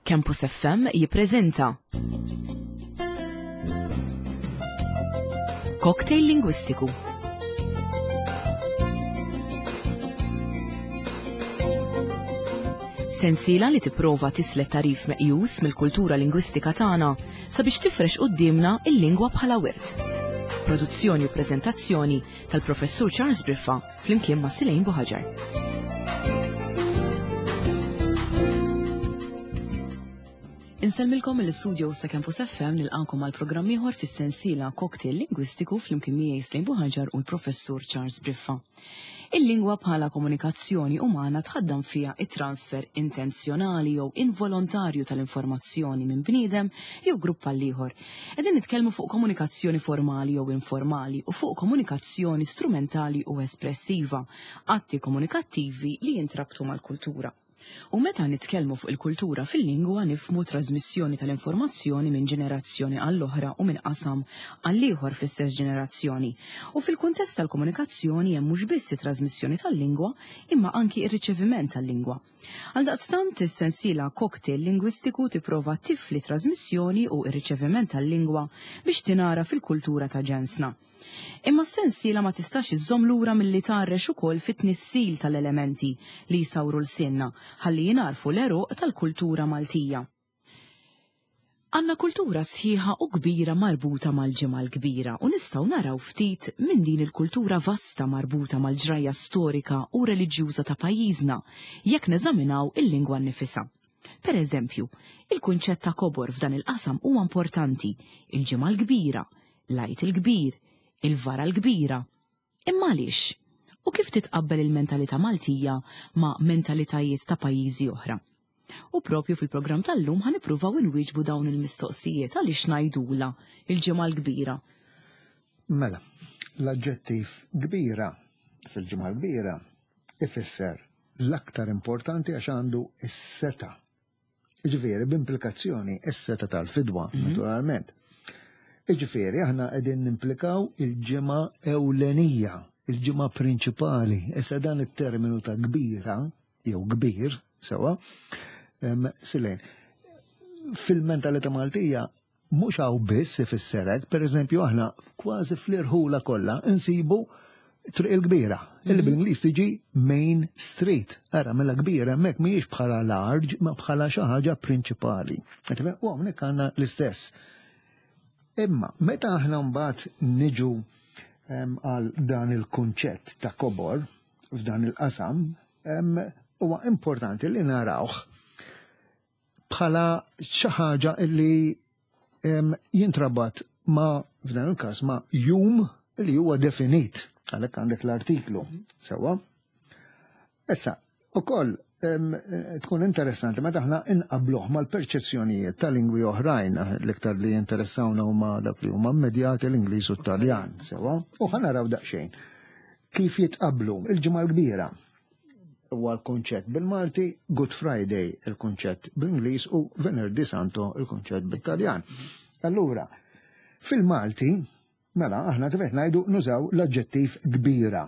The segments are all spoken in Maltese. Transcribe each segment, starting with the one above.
Campus FM jippreżenta Cocktail Lingwistiku. Sensiela li tipprova tislet tarif meqjus mill-kultura lingwistika tagħna sabiex tifrex quddiemna il-lingwa bħala wirt. Produzzjoni u preżentazzjoni tal-Professur Charles Briffa flimkien ma' Silejn Buħaġar. Insellmilkom mill-istudios ta' Campus FM nilqakom għal programm ieħor fis-sensiela Cocktail Lingwistiku flimkien miegħi Slejn Buħaġar u l-Professur Charles Briffa. Il-lingwa bħala komunikazzjoni umana tħaddam fiha it-transfer intenzjonali jew involontarju tal-informazzjoni minn bniedem jew grupp għal ieħor. Qegħdin nitkellmu fuq komunikazzjoni formali jew informali u fuq komunikazzjoni strumentali u espressiva, atti komunikattivi li jintrabtu mal-kultura. U meta nitkellmu fuq il-kultura fil-lingwa nifhmu trażmissjoni tal-informazzjoni minn ġenerazzjoni għall-oħra u minn qasam għall-ieħor fl-istess ġenerazzjoni. U fil-kuntest tal-komunikazzjoni hemm mhux biss it-trażmissjoni tal-lingwa imma anki r-riċeviment tal-lingwa. Għaldaqstant, is-sensiela Cocktail Lingwistiku tipprova tifli t-trażmissjoni u r-riċeviment tal-lingwa biex tingħaraf il-kultura ta' ġensna. Imma s-sensiela ma tistax iżżomm lura milli tgħarrex ukoll fit-tnissil tal-elementi li jsawru lsienna ħalli jingħarfu l-għeruq tal-kultura Maltija. Għandna kultura sħiħa u kbira marbuta mal-Ġimgħa l-Kbira u nistgħu naraw ftit minn din il-kultura vasta marbuta mal-ġrajja storika u reliġjuża ta' pajjiżna jekk neżaminaw il-lingwa nnifisha. Per eżempju, il-kunċett ta' kobor f'dan il-qasam huwa importanti, il-Ġimgħa l-Kbira, l-Għid il-Kbir, il-Vara l-Kbira. Imma għaliex? U kif titqabbel il-mentalità Maltija ma' mentalitajiet ta' pajjiżi oħra? U propju fil-programm tal-lum ħa nippruvaw inwieġbu dawn il-mistoqsijiet għaliex ngħidulha il-Ġimgħa l-Kbira. Mela, l-aġġettiv kbira fil-Ġimgħa l-Kbira ifisser l-aktar importanti għax għandu s-seta. Ġifieri, b'implikazzjoni s-seta tal-fidwa, mhm. naturalment. Ġifieri, aħna qegħdin nimplikaw il-ġimgħa ewlenija, il-ġimgħa prinċipali. Issa dan it-terminu ta' kbira, jew kbir, sewa, silejn. Fil-mentalità Maltija Mhux hawn biss ifisser hekk, pereżempju aħna kważi fl-irħula kollha nsibu Triq il-Kbira, illi mhm. bl-Ingliż tiġi Main Street. Ara mela kbira hemmhekk mhijiex bħala large, ma bħala xi ħaġa prinċipali. U hawnhekk għandna l-istess. Imma meta aħna mbagħad niġu għal dan il-kunċett ta' kobor f'dan il-qasam, huwa importanti li narawh bħala xi ħaġa li jintrabat ma' f'dan il-każ ma' jum li huwa definit għalhekk għandek l-artiklu sewwa. Issa, ukoll tkun interessanti meta aħna inqabluh mal-perċezzjonijiet ta' lingwi oħrajn l-iktar li jinteressawna huma dak li huma immedjati l-Ingliż u t-Taljan, sewwa, u ħa naraw daqsxejn kif jitqablu il-ġimgħa l-kbira huwa l-kunċett bil-Malti, Good Friday il-kunċett bl-Ingliż u Venerdì Santo il-kunċett bit-Taljan. Allura, fil-Malti, mela aħna kif qed ngħidu nużaw l-aġġettiv kbira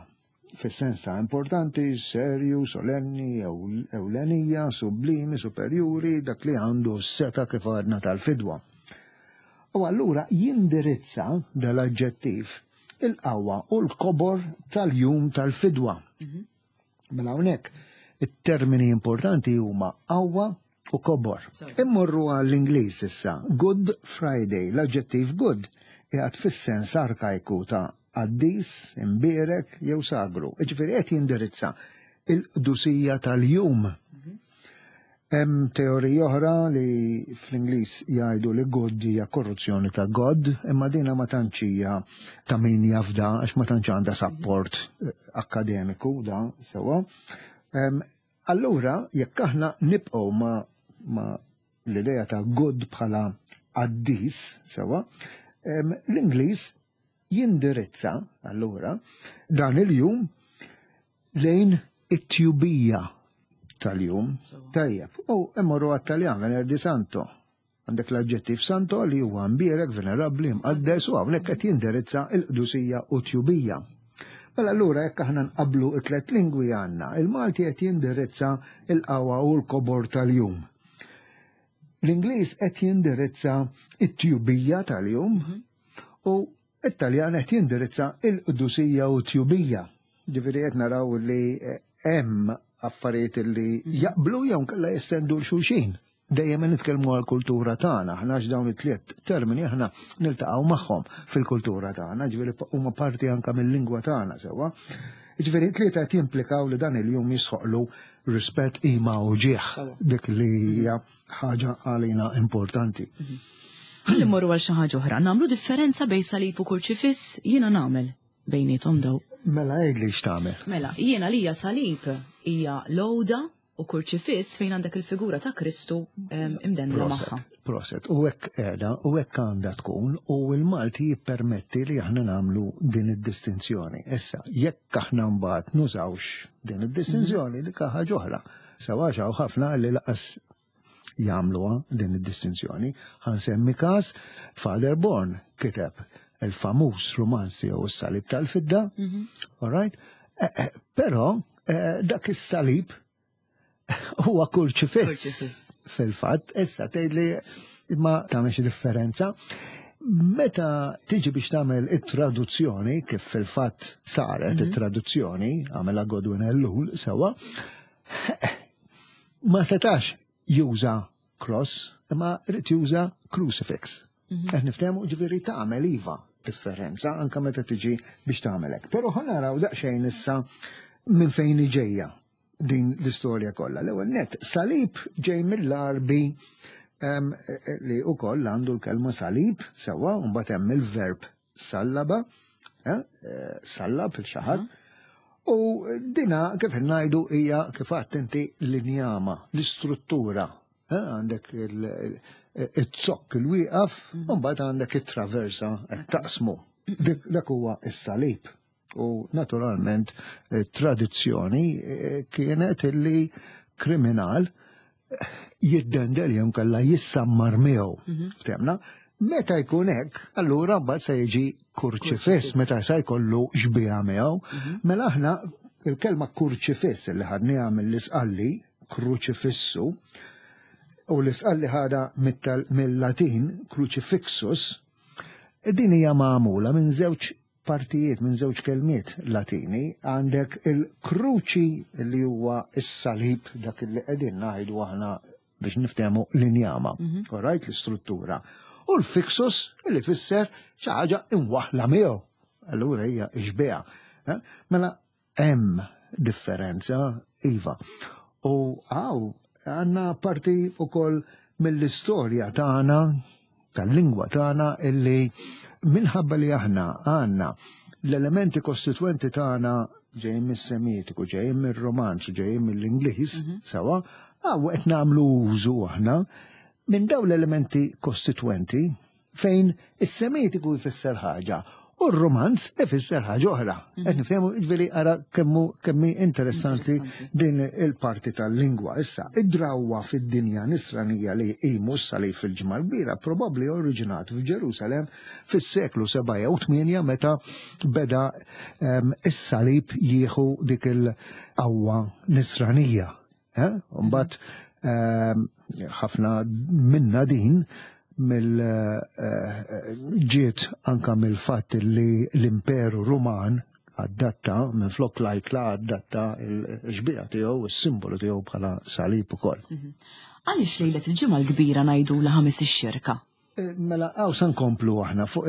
fis-sens ta' importanti, serju, solenni, ewlenija, sublimi, superjuri, dak li għandu s-seta kif għadna tal-fidwa. U allura jindirizza dal-aġġettiv il-qawwa u l-kobor tal-jum tal-fidwa. Mhm. Mela hawnhekk it-termini importanti huma qawwa u kobor. Immorru għall-Ingliż issa. Good Friday, l-aġġettiv good qiegħed fis-sens arkajku ta' qaddis, imbierek jew sagru. Jiġifieri qed jindirizza il-qdusija tal-jum. Mhm. Hemm teorija oħra li fl-Ingliż jgħidu li good hija korruzzjoni ta' God, imma dina ma tantx hija ta' min jafda għax ma tantx għandha sapport eh, akkademiku da sewwa. Allura jekk aħna nibqgħu ma, ma l-idea ta' good bħala qaddis sewwa, l-Ingliż jindirizza allura dan il-jum lejn it-tjubija tal-jum. Tajjeb, u immorru għat-Taljan, Venerdì Santo. Għandek l-aġġettiv santo li huwa mbierek, venerabbli, mqaddes u hawnhekk qed jindirizza l-qdusija u tjubija. Mela allura jekk aħna nqablu t-tlet lingwi għandna, il-Malti qed jindirizza l-qawwa u l-kobor tal-jum. L-Ingliż qed jindirizza it-tjubija tal-jum u it-Taljan qed jindirizza il-qdusija u t-tjubija. Ġifieri qed naraw li hemm affarijiet li jaqblu jew nkella jestendu l xulxin. Dejjem nitkellmu għall-kultura tagħna, aħna għax dawn it-tliet termini aħna niltaqgħu magħhom fil-kultura tagħna, ġifieri huma parti anke mill-lingwa tagħna sewwa. Ġifieri tlieta qed jimplikaw li dan il-jum jisħoqlu rispett, qima u ġieħ, dik li hija ħaġa għalina importanti. Ħalli mmorru għal xi ħaġa oħra, nagħmlu differenza bejn salib u kurċifiss, jiena nagħmel bejniethom daw. Mela għidli x'tagħmel. Mela, jiena lija salib hija l-għoda u kurċifiss fejn għandek il-figura ta' Kristu imdendla magħha. Proset, u hekk qiegħda u hekk għandha tkun u l-Malti jippermetti li aħna nagħmlu din id-distinzjoni. Issa, jekk aħna mbagħad nużawx din id-distinzjoni, dik ħaġa oħra. Sewa hawn ħafna li laqas jagħmluha din id-distinzjoni. Ħa nsemmi każ Father Born kiteb il-famuż romanz tiegħu s-salib tal-fidda, all right? Però dak is-salib huwa kurċifiss. Fil-fatt, issa tgħidli imma tagħmel xi differenza. Meta tiġi biex tagħmel it-traduzzjoni, kif fil-fatt saret it-traduzzjoni, għamela Godwin Ellul sewwa, ma setax juża cross, imma rrid juża crucifix. Qed niftehmu, ġifieri tagħmel iva differenza anke meta tiġi biex tagħmel hekk. Però ħa naraw daqsxejn issa minn fejn ġejja din l-istorja kollha. L-ewwel net, salib ġej mill-Arbi li wkoll għandu l-kelma salib sewwa, u mbagħad hemm il-verb sallaba, sallab fil-xaħat. U dina kif ngħidu hija kif għedt inti l-injama, l-istruttura. Għandek il-zokk il-wieqaf, u mbagħad għandek it-traversa taqsmu. Dak huwa is-salib. U naturalment tradizzjoni kienet illi kriminal jiddendel jew kalla jissammar miegħu. Ftemna? Meta jkun hekk, allura mbagħad se jiġi kurċifiss, meta se jkollu xbieha miegħu. Mela aħna il-kelma kurċifiss li ħadniha mill-Isqalli, kruċifissu, u l-Isqalli ħadha mill-Latin crucifixus, din hija magħmula minn żewġ partijiet, minn żewġ kelmiet Latini. Għandek il-kruċi li huwa s-salib, dak li qegħdin ngħidu aħna biex niftehmu l-injama, all right, l-istruttura. U l-fixus li fisser xi ħaġa imwaħla miegħu. Allura hija xbieha. Mela hemm differenza, iva. U għaw għandna parti ukoll mill-istorja tagħna, tal-lingwa tagħna, illi minħabba li aħna għandna l-elementi kostituenti tagħna ġejjin mis-Semitiku, ġejjin mir-Romanz, ġejjin mill-Ingliż, sewa, għaw qed nagħmlu użu aħna minn dawn l-elementi kostituenti fejn is-Semitiku jfisser ħaġa u r-Romanz ifisser ħaġa oħra. Qed niftehmu, ġifieri ara kemmi interessanti din il-parti tal-lingwa. Issa, id-drawwa fid-dinja nisranija li jqimu s-salib fil-Ġimgħa l-Kbira probabbli oriġinat f'Ġerusalem fis-seklu 7 jew 8 meta beda is-salib jieħu dik il-qawwa nisranija. Mbagħad ħafna minna din mill ġiet anka mill-fatt li l-Imperu Ruman adatta minn flok lajkla adatta il-xbieha tiegħu, is-simbolu tiegħu bħala salib ukoll. Għaliex lejlet il-Ġimgħa l-Kbira ngħidu la ħames ix-xirka? Mela hawn se nkomplu aħna fuq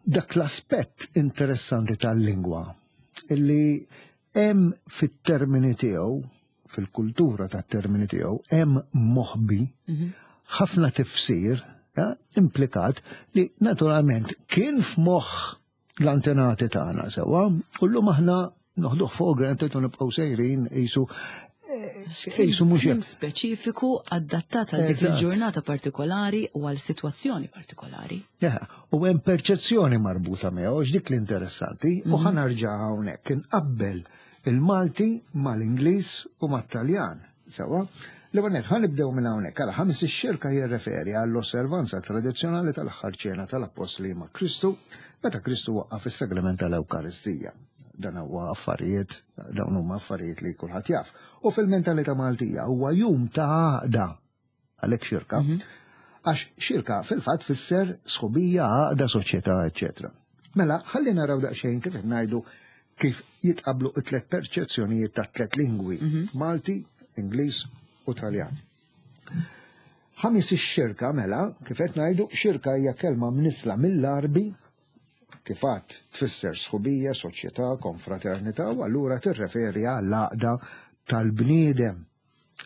dak l-aspett interessanti tal-lingwa illi hemm fit-termini tiegħu, fil-kultura tat-termini tiegħu, hemm moħbi ħafna tifsir implikat li naturalment kien f'moħħ l-antenati tagħna sewwa, u llum aħna noħduh for granted u nibqgħu sejrin qisu mhux hekk. Speċifiku adattat għal dik il-ġurnata partikolari u għal sitwazzjoni partikolari. U hemm perċezzjoni marbuta miegħu, dik l-interessanti, u ħa nerġa' hawnhekk inqabbel il-Malti mal-Ingliż u mat-Taljan. Sewwa, l-ewwel nett ħa nibdew minn hawnhekk. Għala ħames ix-xirka jirreferi għall-osservanza tradizzjonali tal-aħħar ċena tal-Appostli ma' Kristu meta Kristu waqqaf is-sagrament tal-Ewkaristija. Dan huwa affarijiet, dawn huma affarijiet li kulħadd jaf. U fil-mentalità Maltija huwa jum ta' għaqda. Għalhekk xirka. Għax xirka fil-fatt fisser sħubija, għaqda, soċjetà, eċetera. Mela, ħalli naraw daqsxejn kif qed ngħidu kif jitqablu it-tlet perċezzjonijiet ta' tlet lingwi, Malti, Ingliż u Taljan. Ħamis ix-xirka mela, kif qed ngħidu, xirka hija kelma mnisla mill-Arbi, kif għad tfisser sħubija, soċjetà, konfraternità, u allura tirreferi għall-għaqda tal-bniedem.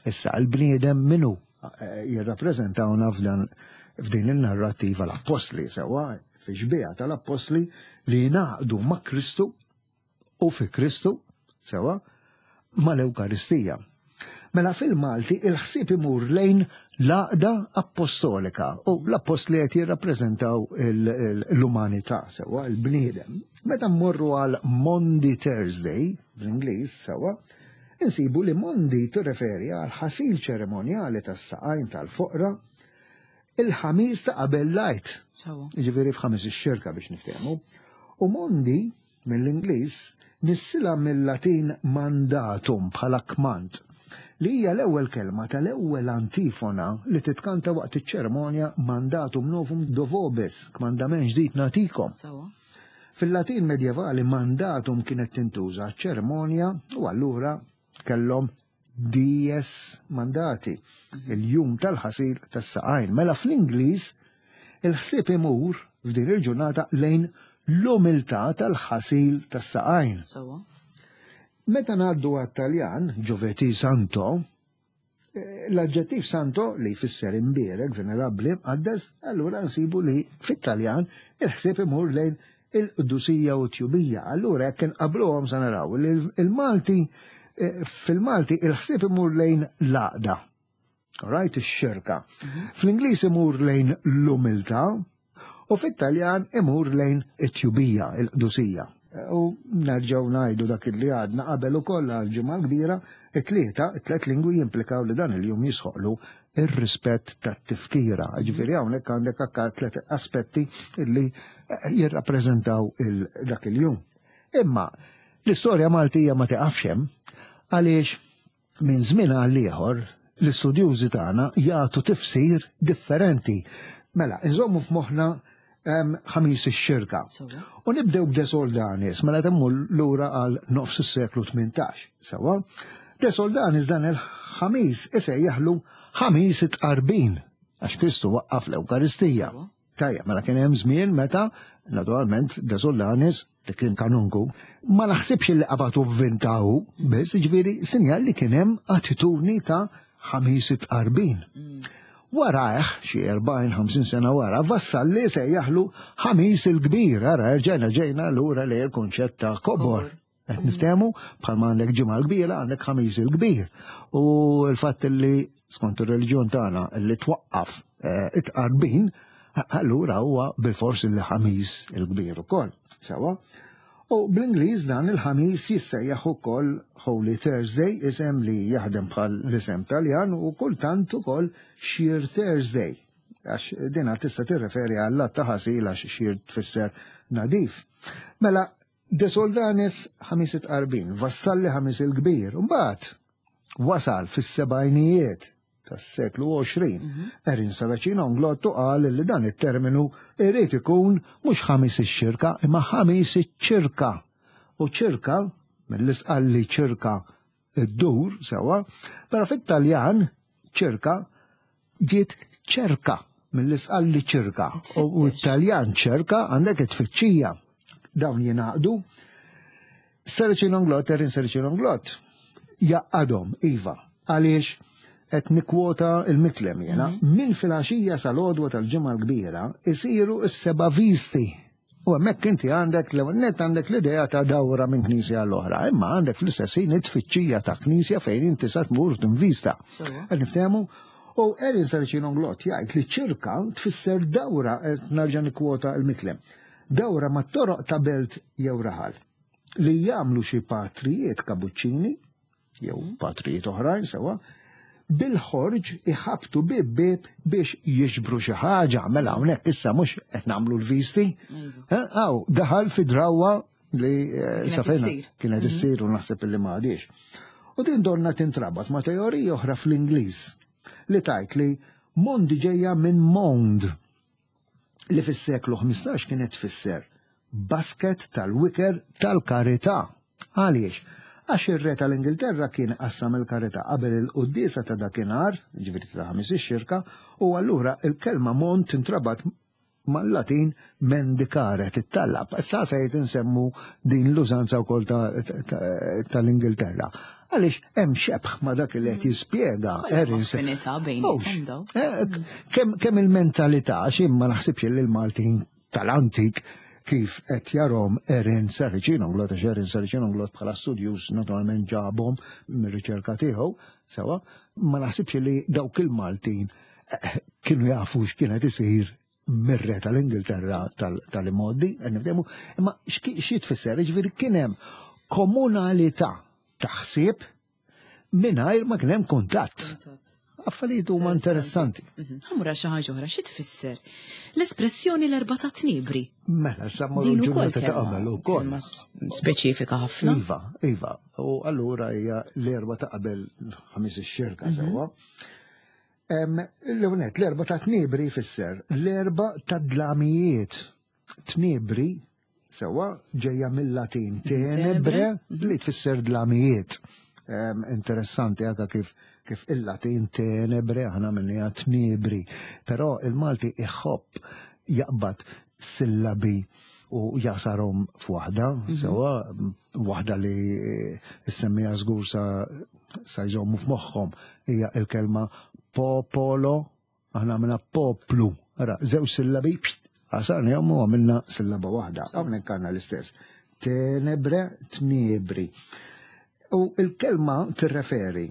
Issa, il-bniedem minu eh, jirrappreżentawna f'dan f'din il-narrativa l-appostli, sewa fi xbieha tal-appostli li jingħaqdu ma' Kristu u fi Kristu, sewa, mal-Ewkaristija. Mela fil-Malti il-ħsieb imur lejn l-għaqda appostolika u l-appostli qed jirrappreżentaw l-umanità sewa, il-bniedem. Meta mmorru għal Maundy Thursday bl-Ingliż sewa, insibu li Maundy tirreferi għal ħasil ċerimonjali tas-saqajn tal-foqra il-ħamis ta' qabel l-Għid. Jiġifieri f'ħamis ix-xirka biex niftehmu. U Maundy mill-Ingliż nissilha mill-Latin mandatum bħala kmand, li hija l-ewwel kelma tal-ewwel antifona li titkanta waqt iċ-ċerimonja Mandatum novum do vobis, kmandament ġdid nagħtikom. Fil-Latin medjevali mandatum kienet tintuża għaċ-ċerimonja u allura kellhom dies mandati, il-jum tal-ħasil tas-saqajn. Mela fl-Ingliż il-ħsieb imur f'din il-ġurnata lejn l-umiltà tal-ħasil tas-saqajn. Meta ngħaddu għat-Taljan, Giovedì Santo, eh, l-aġġettiv santo li jfisser imbierek, venerabbli, mqaddes, allura nsibu li fit-Taljan il-ħsieb imur lejn il-qdusija u t-tjubija. Allura jekk inqabluhom sa naraw li il-Malti eh, fil-Malti il-ħsieb imur lejn l-għaqda. Right, ix-xirka. Mhm. Fl-Ingliż imur lejn l-umiltà u fit-Taljan imur lejn it-tjubija, il-qdusija. U nerġgħu ngħidu dak li għadna qabel ukoll għal-ġimgħa kbira, it-tlieta, it-tliet lingwi jimplikaw li dan il-jum jisħoqlu ir-rispett tat-tifkira. Ġifieri hawnhekk għandek akka tliet aspetti li jirrappreżentaw dak il-jum. Imma l-istorja Maltija ma tiqafx hemm għaliex minn żmien għal ieħor l-istudjużi tagħna jagħtu tifsir differenti. Mela, inżommu f'moħħna ħamis ix-xirka. U nibdew b'De Soldanis, mela temmu lura għal nofs is-seklu 18. Sewa, De Soldanis dan il-ħamis isejjaħlu ħamis it-tqarbin, għax Kristu waqqaf l-Ewkaristija. Tajja, mela kien hemm żmien meta, naturalment, De Soldanis, li kien kanunku, ma naħsibx li qabatu vvintahu, biss ġifieri sinjal li kien hemm attitudni ta' ħamis it-tqarbin. Mm. Warajh, xi 40-50 sena wara, Vassalli sejjaħlu ħamis il-kbir, ara rġajna ġejna lura li l-kunċett ta' kobor. Qed niftehmu bħalma għandek ġimgħa l-kbira għandek ħamis il-kbir. U l-fatt li skont ir-reliġjon tagħna li twaqqaf eh, it-tqarbin, allura huwa bil-fors li ħamis il-kbir ukoll. Sewa? U bl-Ingliż dan il-ħamis jissejjaħ ukoll Holy Thursday, isem li jaħdem bħal l-isem Taljan u kultant ukoll Sheer Thursday. Għax dina tista' tirreferi għall-att ta' ħasil għax sheer tfisser nadif. Mela, De Soldanis ħamis it-tqarbin, Vassalli ħamis il-kbir, mbagħad wasal fis-sebgħinijiet tas-seklu 20. Mhm. Erin Saracino Nglottu qal li dan it-terminu irid ikun mhux ħamis ix-xirka imma ħamis iċ-ċirka. U ċirka, mill-isqalli ċirka iddur sewa, però fit-Taljan ċirka ġiet ċerka mill-isqalli ċirka. U t-Taljan ċerka għandek it-tfittxija. Dawn jingħaqdu. Serċin Onglot, Erin Serċin Onglot, jaqadhom, iva, għaliex qed nikkwota il-miklem jena, mhm. minn filgħaxija sal-għodwa tal-ġimgħa l-kbira isiru s-seba' visti U hemmhekk inti għandek l net għandek l-idea ta' dawra minn knisja l-oħra, imma għandek fl-istess ħin it-tfittxija ta' knisja fejn inti sa tmur tinvista. Qed niftehmu? U Erin Sarcino Glott jgħid li ċirka tfisser dawra, nerġa' nikkwota l-miklem, dawra ma' toroq ta' belt jew raħal li jagħmlu xi patrijiet kabuċċini jew mhm. patrijiet oħrajn sewa, bil-ħorġ iħabtu bib bib biex jiġbru xi ħaġa, mela hawnhekk issa mhux qed nagħmlu l-visti. Aw, daħal fi drawwa li eh, safejna kienet mhm. issir u naħseb li ma għadix. U din donna tintrabat ma' teorija oħra fl-Ingliż li tajt li Mondi ġejja minn Mond li fis-seklu 15 kienet tfisser basket tal-wiker tal-karità. Għaliex? Għax ir-re tal-Ingilterra kien qassam il-karità qabel il-quddiesa ta' dakinhar, ġifieri ta' Ħamis ix-Xirka, u allura il-kelma mond tintrabat mal-Latin mendicare, tittallab. Issa għalfejn qed insemmu din l-użanza wkoll tal-Ingilterra. Għaliex hemm xebh ma' dak li qed jispjega Erin. Affinità bejniethom daw. Kemm il-mentalità, għax jien ma naħsibx li l-Maltin tal-antik kif qed jarhom Erin Saracino-Glot, għax Erin Saracino-Glot bħala studjuż naturalment ġabhom mir-riċerka tiegħu, sewa, ma naħsibx li dawk il-Maltin kienu jafu x'kienet isir mir-re tal-Ingilterra tal-imoddi, nifdemu, imma xi tfisser, ġifieri kien hemm komunalità ta' ħsieb mingħajr ma kien hemm kuntatt. Affarijiet huma interessanti. Ħamura xi ħaġa oħra, xi tfisser? L-espressjoni l-erba' ta' tnibri. Mela, sa mmorru l-ġurnata ta' qabel ukoll. Speċifika ħafna. Iva, iva. U allura hija l-erba' ta' qabel ħamis ix-xirka sewwa. L-ewwel l-erba' ta' tniebri jfisser l-erba' ta' dlamijiet. Tniebri sewwa ġejja mill-Latin tenebre li tfisser dlamijiet. Interessanti anke kif kif il-Latin tenebre aħna minnija tniebri, però il-Malti iħobb jaqbad sillabi u jasarhom f'waħda, sewwa waħda li semmija żgur sa sa jżommu f'moħħhom hija il-kelma popolo, aħna għamilna poplu. Ara, żewġ sillabi, għasarnihom u għamilna sillaba waħda. Hawnhekk għandna l-istess. Tenebre, tniebri. U il-kelma tirreferi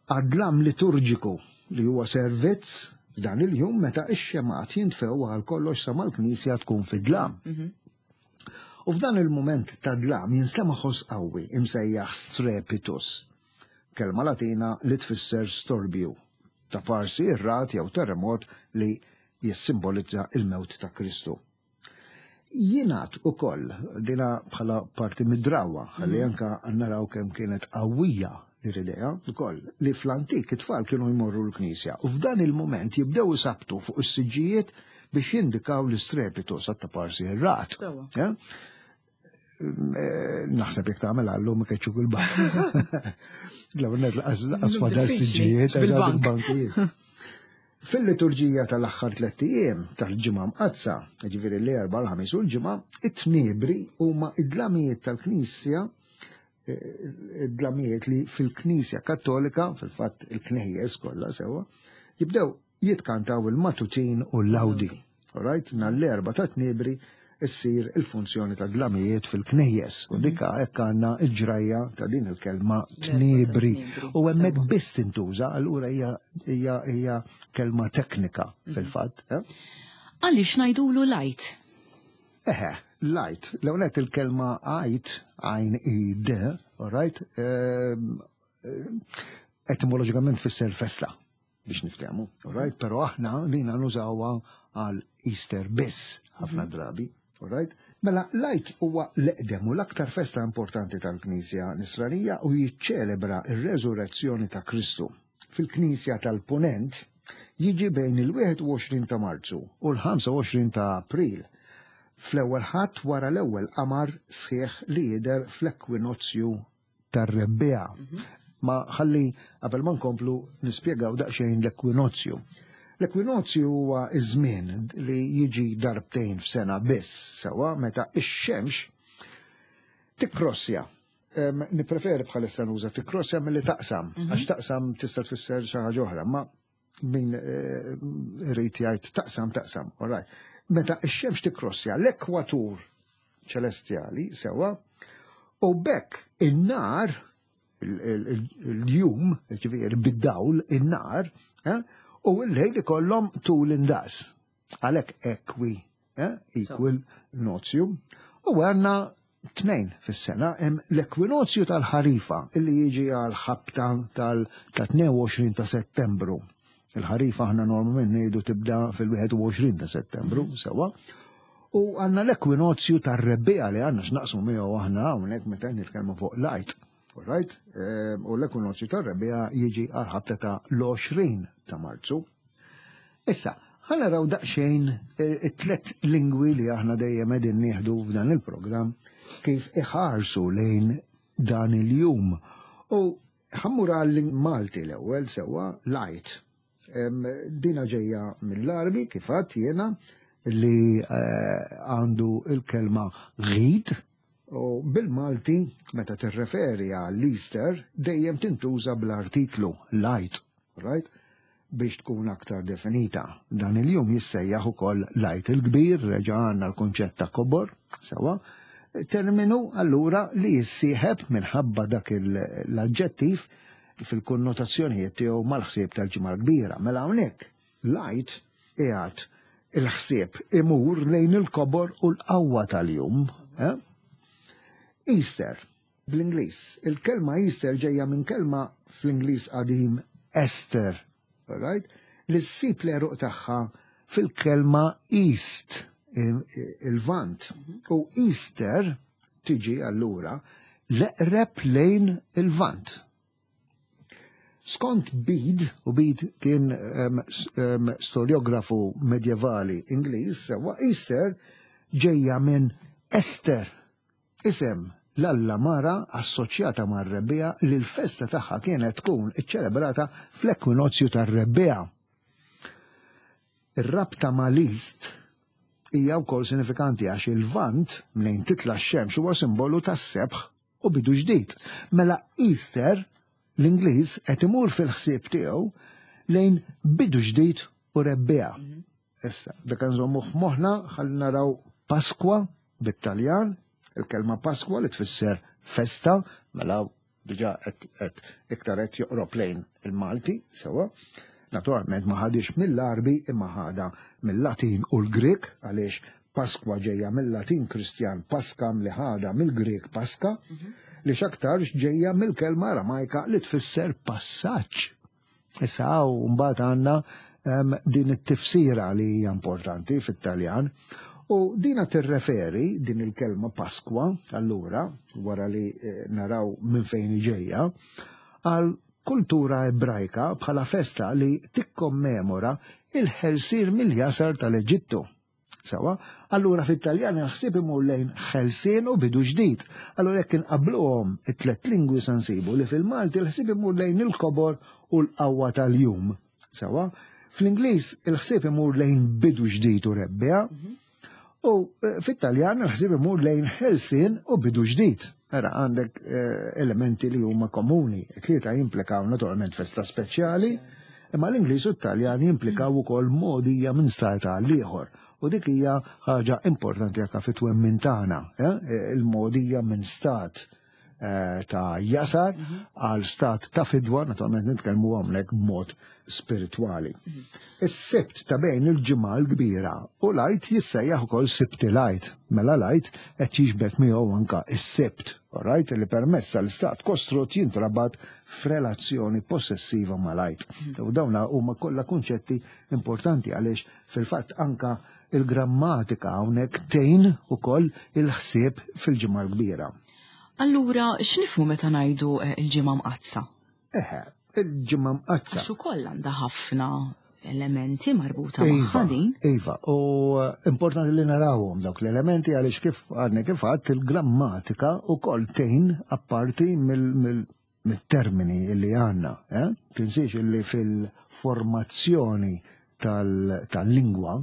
għad-dlam liturġiku li huwa servizz f'dan il-jum meta x-xemgħat jintfew għal kollox sa mal-knisja tkun fid-dlam. U f'dan il-mument ta' dlam jinstema' ħoss qawwi imsejjaħ strepitus, kelma Latina li tfisser storbju, ta' parsi r-ragħad jew terremot li jissimbolizza l-mewt ta' Kristu. Jingħad ukoll, dina bħala parti mid-drawwa, ħalli anka naraw kemm kienet qawwija din l-idea ukoll, li fl-antik it-tfal kienu jmorru l-knisja u f'dan il-mument jibdew isabtu fuq is-siġġijiet biex jindikaw l-istrepitu sa ta' parsi r-rat. Eh? Eh, naħseb jek tagħmel għallum ikeċċu bil-bank. L-għonet laqas fadal siġġijiet bil-bankijiet. Fil-liturġija tal-aħħar tlett ijiem tal-Ġimgħa Mqaddsa, jiġifieri l-Erbgħa, l-Ħamis u l-Ġimgħa, it-tniebri huma id-dlamijiet tal-Knisja id-dlamijiet li fil-Knisja Kattolika, fil-fatt il-knejjes kollha sewwa, jibdew jitkantaw il-matutin u l-lawdi. Alright, nhar l-Erbgħa ta' tniebri issir il-funzjoni ta' dlamijiet fil-knejjes. U dika hekk għandna l-ġrajja ta' din il-kelma tniebri. U hemmhekk biss tintuża, allura hija hija kelma teknika fil-fatt. Eh? Għaliex ngħidulu l-Għid? Eħe, l-Għid. L-ewwel nett il-kelma Għid, għajn i d, alright, ehm, etimoloġikament tfisser festa. Biex niftehmu, right? Però aħna lina nużawha għal Easter biss ħafna mhm. drabi, right? Mela, l-Għid huwa l-eqdem u l-aktar festa importanti tal-Knisja Nisranija u jiċċelebra r-reżurrezzjoni ta' Kristu. Fil-Knisja tal-Punent jiġi bejn il-21 ta' Marzu u l-25 ta' April, fl-ewwel Ħadd wara l-ewwel qamar sħiħ li jidher fl-ekwinozzju tar-rebbiegħa. Mhm. Ma ħalli qabel ma nkomplu nispjegaw daqsxejn l-ekwinozju. L-ekwinozju huwa iż-żmien li jiġi darbtejn f'sena biss, sewwa meta ix-xemx tikkrossja. Nippreferi bħalissa nuża tikkrossja milli taqsam, mhm. għax taqsam tista' tfisser xi ħaġa oħra, ma min eh, irid jgħid taqsam taqsam, all right. Meta x-xemx tikkrossja l-ekwatur ċelestjali sewwa, u bekk in-nar il-jum, ġifieri bid-dawl, in-nar, eh, u l-lejl ikollhom tul indaqs. Għalhekk ekwi, eh, equal nozju. U għandna tnejn fis-sena hemm l-ekwinozju tal-ħarifa illi jiġi għal ħabta tal-22 ta' Settembru. Il-ħarifa aħna normalment ngħidu tibda fil-21 ta' Settembru, sewwa. U għandna l-ekwinozju tar-rebbiegħa li għandna x'naqsmu miegħu aħna hawnhekk meta nitkellmu fuq l-Għid. Right? Ehm, u l-ekwinozju tar-rebbiegħa jiġi għal ħabta ta' l-20 ta' Marzu. Issa, ħa naraw daqsxejn it-tlet lingwi li aħna dejjem qegħdin nieħdu f'dan il-programm kif iħarsu lejn dan il-jum. U ħammur għal Malti l-ewwel sewwa l-Għid. Dina ġejja mill-Għarbi kif għadt jiena li għandu il-kelma ghid u bil-Malti meta tirreferi għall-Easter dejjem tintuża bl-artiklu l-Għid, right? Biex tkun aktar definita. Dan il-jum jissejjaħ ukoll l-Għid il-Kbir, reġa' għandna l-kunċett ta' kobor, sewwa. Terminu allura li jissieħeb minħabba dak l-aġġettiv fil-konnotazzjonijiet tiegħu mal-ħsieb tal-Ġimgħa l-Kbira. Mela hawnhekk l-Għid qiegħed il-ħsieb imur lejn il-kobor u l-qawwa tal-jum. Eh? Easter, bl-Ingliż. Il-kelma Easter ġejja minn kelma fl-Ingliż qadim Esther, right? Li ssib l-għeruq tagħha fil-kelma East, il-Lvant. U Easter tiġi allura l-eqreb lejn il-Lvant. Skont Bede, u Bede kien storiografu medjevali Ingliż, sewwa Easter ġejja minn Esther, isem l-alla mara assoċjata mar-rebbiegħa li l-festa tagħha kienet tkun iċċelebrata fl-ekwinozju tar-rebbiegħa. Ir-rabta mal-East hija wkoll sinifikanti għax il-Lvant mnejn titla' x-xemx huwa simbolu tas-sebħ u bidu ġdid. Mela Easter, l-Ingliż qed imur fil-ħsieb tiegħu lejn bidu ġdid u rebbiegħa. Issa, dak nżommu f'moħħna ħalli naraw Pasqua bit-Taljan, il-kelma Pasqua li tfisser festa, mela diġà qed iktar qed joqrob lejn il-Malti, sewwa. Naturalment ma ħadix mill-Għarbi imma ħada mill-Latin u l-Grieg għaliex Pasqua ġejja mill-Latin Kristjan Pascam li ħada mill-Grieg Pasca li x'aktarx ġejja mill-kelma Aramajka li tfisser passaġġ. Issa hawn mbagħad għandna din it-tifsira li hija importanti fit-Taljan. U dina tirreferi din il-kelma Pasqua, allura, wara li eh, naraw minn fejn ġejja, għal kultura ebrajka bħala festa li tikkommemora il-ħelsir mill-jasar tal-Eġittu. Sawa, allura fit-Taljan il-ħsieb imur lejn ħelsien u bidu ġdid. Allura jekk inqabluhom it-tlet lingwi se nsibu li fil-Malti l-ħsieb imur lejn il-kobor u l-qawwa tal-jum. Sawa, fl-Ingliż il-ħsieb imur lejn bidu ġdid u rebbija, u eh, fit-Taljan il-ħsieb imur lejn ħelsien u bidu ġdid. Era għandek eh, elementi li huma komuni. Tlieta jimplikaw naturalment festa speċjali, imma l-Ingliż u t-Taljan jimplikaw ukoll mogħdija minn stat għal ieħor. U dik hija ħaġa importanti anke fit-twemmin tagħna, eh, il-mogħdija minn stat eh, ta' jasar mhm. għal stat ta' fidwa, naturalment nitkellmu hawnhekk b'mod spiritwali. Mhm. Is-sibt ta' bejn il-ġimgħa l-kbira u l-Għid jissejjaħ ukoll Sibt il-Għid. Mela l-Għid qed jiġbed miegħu anka is-Sibt, right, li permezz tal-istat kostrott jintrabat f'relazzjoni possessiva mal-Għid. Mhm. U dawna huma kollha kunċetti importanti għaliex fil-fatt anka il-grammatika hawnhekk tgħin ukoll il-ħsieb fil-Ġimgħa l-Kbira. Allura, x'nifhmu meta ngħidu eh, il-Ġimgħa Mqaddsa? Eħe, il-Ġimgħa Mqaddsa. Għax ukoll għandha ħafna elementi marbuta iva, magħha din. Iva, u eh, importanti li narawhom dawk l-elementi għaliex kif għadni kif għadt il-grammatika ukoll tgħin apparti mill-termini li għandna. Eh? Tinsiex li fil-formazzjoni tal-lingwa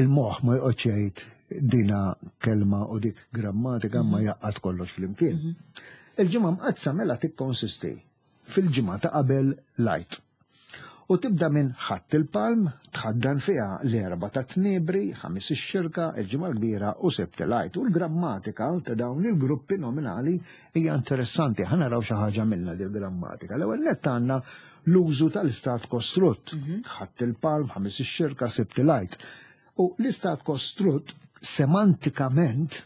il-moħħ ma joqgħodx jgħid dina kelma u dik grammatika ma mhm. jaqgħad kollox flimkien. Mhm. Il-ġimgħa mqaddsa mela tikkonsisti fil-ġimgħa ta' qabel l-Għid. U tibda minn Ħadd il-Palm, tħaddan fiha l-Erbgħa tat-Tniebri, Ħamis ix-Xirka, il-Ġimgħa l-Kbira u Sibt il-Għid. U l-grammatika ta' dawn il-gruppi nominali hija interessanti. Ħa naraw xi ħaġa minnha dil-grammatika. L-ewwel nett għandna l-użu tal-istat kostrutt. Mhm. Ħadd il-Palm, Ħamis ix-Xirka, Sibt il-Għid. U l-istat kostrutt semantikament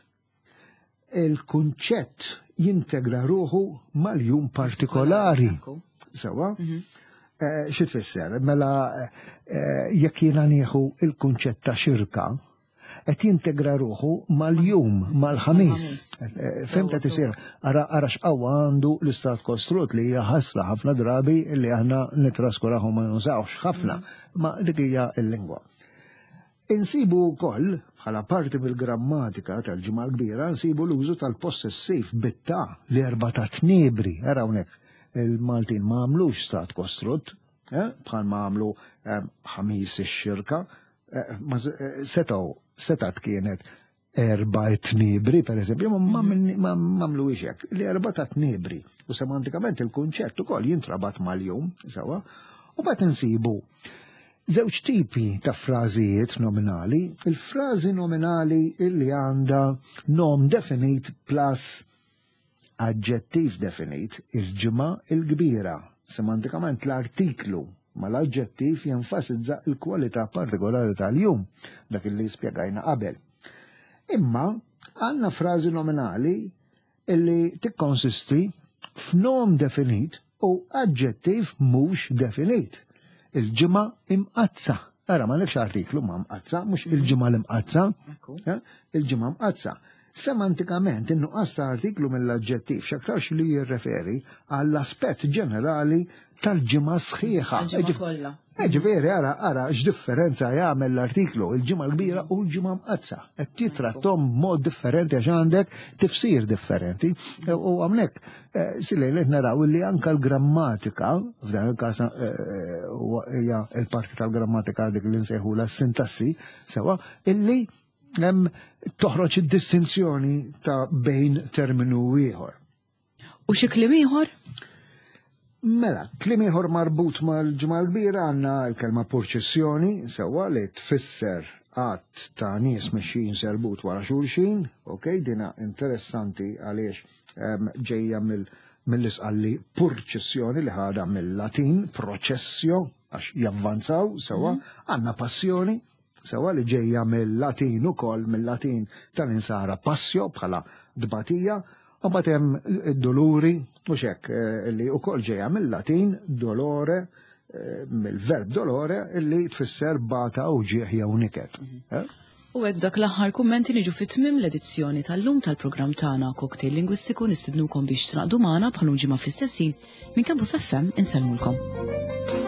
il-kunċett jintegra ruħu mal-jum partikolari. Sewa? Mhm. Eh, xi tfisser? Mela eh, jekk jiena nieħu il-kunċett ta' xirka, Qed jintegra ruħu mal-jum, mal-ħamis. Eh, Fhimt qed isir, ara ara x'qawwa għandu l-istat kostrut li hija ħasra ħafna drabi li aħna nitraskuraw ma nużawx ħafna, ma dik hija l-lingwa. Insibu wkoll, bħala parti mill-grammatika tal-Ġimgħa l-Kbira, nsibu l-użu tal-possessiv bit-ta, l-Erbgħa ta' Tniebri. Ara hawnhekk, il-Maltin ma għamlux stat kostrutt, eh, bħal ma għamlu eh, ħamis ix-xirka, eh, setgħu setat kienet erba' tniebri, per eżempju, ma għamlu hekk. L-erba' ta' tniebri. U semantikament il-kunċett ukoll jintrabat mal-jum, sewa, u bat insibu żewġ tipi ta' frażijiet nominali. Il-frażi nominali illi għandha nom definit plus aġġettiv definit, il-ġimgħa il-kbira. Semantikament l-artiklu mal-aġġettiv jenfasizza il-kwalità partikolari tal-jum, dak li spjegajna qabel. Imma għandna frażi nominali illi tikkonsisti f'nom definit u aġġettiv mhux definit. Il-ġimgħa imqaddsa. Ara m'għandekx artiklu ma' mqaddsa, mhux il-ġimgħa l-imqaddsa. Eh, il-ġimgħa mqaddsa. Semantikament, in-nuqqas ta' artiklu mill-aġġettiv x'aktarx li jirreferi għall-aspett ġenerali tal-ġimgħa sħiħa. Ġifieri ara ara x'differenza jagħmel l-artiklu il-ġimgħa l-kbira u l-ġimgħa mqaddsa. Qed jitrattom b'mod differenti għax għandek tifsir differenti. U hawnhekk eh, silejn qed naraw li anka l-grammatika, f'dan il-każ eh, eh, hija l-parti tal-grammatika dik li nsejħula s-sintassi, sewa, illi toħroġ id-distinzjoni ta' bejn terminu ieħor. U xi kliem ieħor? Mela, kliem ieħor marbut mal-Ġimgħa l-Kbira għandna l-kelma purċissjoni, sewwa li tfisser għadd ta' nies mexjin serbut wara xulxin, ok, dina interessanti għaliex ehm, ġejja mill-isqalli purċissjoni li ħadha mill-Latin processio għax javvanzaw sewwa, mhm. għandna passjoni Sewwa li ġejja mill-Latin ukoll, mill-Latin tal-insara passio bħala tbatija, u mbagħad hemm id-doluri, mhux hekk, eh, li wkoll ġejja mill-Latin dolore, eh, mill-verb dolore li tfisser bata u ġieħ jew niket. Mhm. Eh? U hekk dak l-aħħar kummenti niġu fit tmiem l-edizzjoni tal-lum tal-programm tagħna Cocktail Lingwistiku nistidnukom biex tnaqdu magħna bħal ġimgħa fl-istess ħin minn Campus FM insellmulkom.